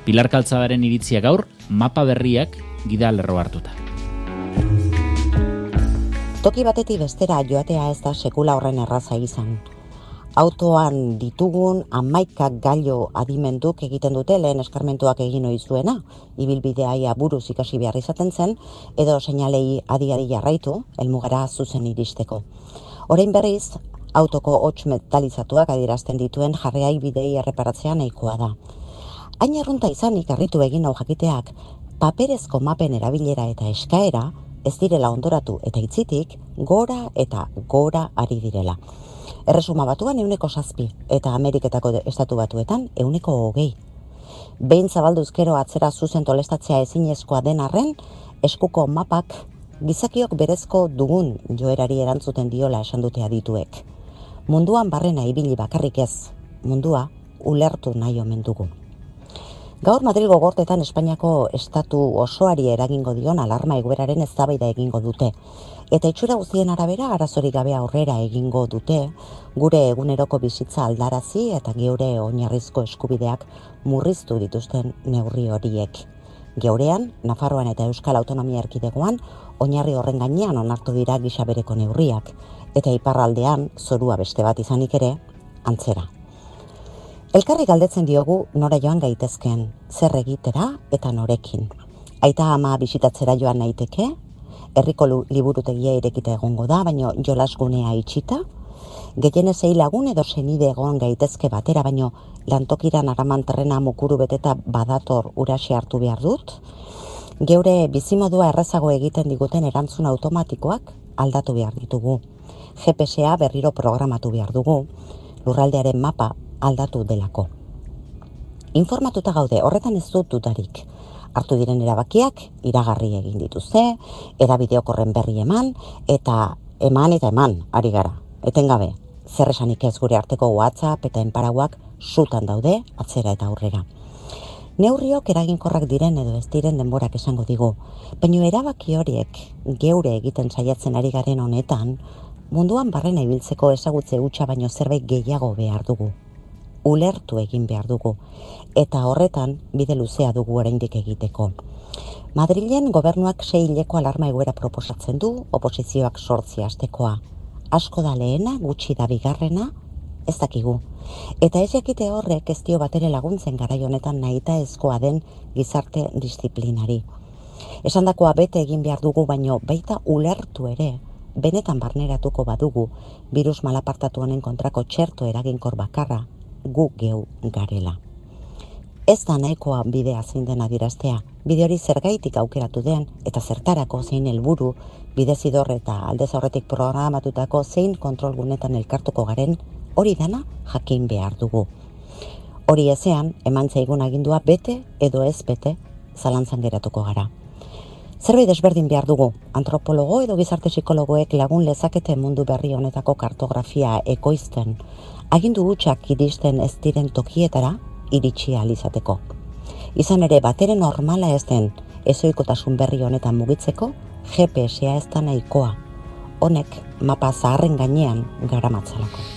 Pilar Kaltzadaren iritzia gaur, mapa berriak gida lerro hartuta. Toki batetik bestera joatea ez da sekula horren erraza izan. Autoan ditugun 11 gailu adimenduk egiten dute lehen eskarmentuak egin ohi zuena, ibilbidea buruz ikasi behar izaten zen, edo seinalei adi-adi jarraitu, helmugara zuzen iristeko. Orain berriz, autoko hots metalizatuak adierazten dituen jarreai bidei erreparatzea nahikoa da. Hain errunta izanik harritu egin hau jakiteak, paperezko mapen erabilera eta eskaera ez direla ondoratu eta itzitik gora eta gora ari direla. Erresuma Batuan 7% eta Ameriketako estatu batuetan 20%. Behin zabalduz gero atzera zuzen tolestatzea ezinezkoa den arren, eskuko mapak gizakiok berezko dugun joerari erantzuten diola esan dute adituek. Munduan barrena ibili bakarrik ez, mundua ulertu nahi omen dugu. Gaur Madrilgo gorteetan Espainiako estatu osoari eragingo dion alarma egoeraren eztabaida egingo dute. Eta itxura guztien arabera arazorik gabe aurrera egingo dute, gure eguneroko bizitza aldarazi eta geure oinarrizko eskubideak murriztu dituzten neurri horiek. Geurean, Nafarroan eta Euskal Autonomia Erkidegoan, oinarri horren gainean onartu dira gisa bereko neurriak, eta iparraldean, zorua beste bat izanik ere, antzera. Elkarri galdetzen diogu nora joan gaitezken, zer egitera eta norekin. Aita ama bisitatzera joan naiteke, herriko liburutegia irekita egongo da, baino jolasgunea itxita, gehienez lagun edo senide egon gaitezke batera, baino lantokiran araman terrena mukuru beteta badator uraxe hartu behar dut, geure bizimodua errazago egiten diguten erantzun automatikoak aldatu behar ditugu. GPS-a berriro programatu behar dugu, lurraldearen mapa aldatu delako. Informatuta gaude, horretan ez dut dudarik. Hartu diren erabakiak, iragarri egin dituzte, edabideok horren berri eman, eta eman, ari gara. Etengabe, zer esanik ez gure arteko WhatsApp eta enparauak sutan daude, atzera eta aurrera. Neurriok eraginkorrak diren edo ez diren denborak esango digu, baina erabaki horiek geure egiten saiatzen ari garen honetan, munduan barrena ibiltzeko ezagutze hutsa baino zerbait gehiago behar dugu. Ulertu egin behar dugu, eta horretan bide luzea dugu oraindik egiteko. Madrilen gobernuak 6 hileko alarma egoera proposatzen du, oposizioak 8 astekoa. Asko da lehena, gutxi da bigarrena, ez dakigu. Eta ez jakite horrek ez dio batere laguntzen garai honetan nahita ezkoa den gizarte disiplinari. Esandakoa bete egin behar dugu, baino baita ulertu ere, benetan barneratuko badugu, birus malapartatu honen kontrako txerto eraginkor bakarra, gu geu garela. Ez da nahikoa bidea zein den adieraztea, bide hori zergaitik aukeratu den eta zertarako zein helburu, bidezidor eta aldez aurretik programatutako zein kontrolgunetan elkartuko garen, hori dana jakin behar dugu. Hori ezean, eman zaigun agindua bete edo ez bete zalantzan geratuko gara. Zerbait desberdin behar dugu, antropologo edo gizarte psikologoek lagun lezakete mundu berri honetako kartografia ekoizten, agindu hutsak iristen ez diren tokietara iritsi ahal izateko. Izan ere batere normala ez den ezoikotasun berri honetan mugitzeko, GPS-a ez da nahikoa. Honek mapa zaharren gainean garamatzalako.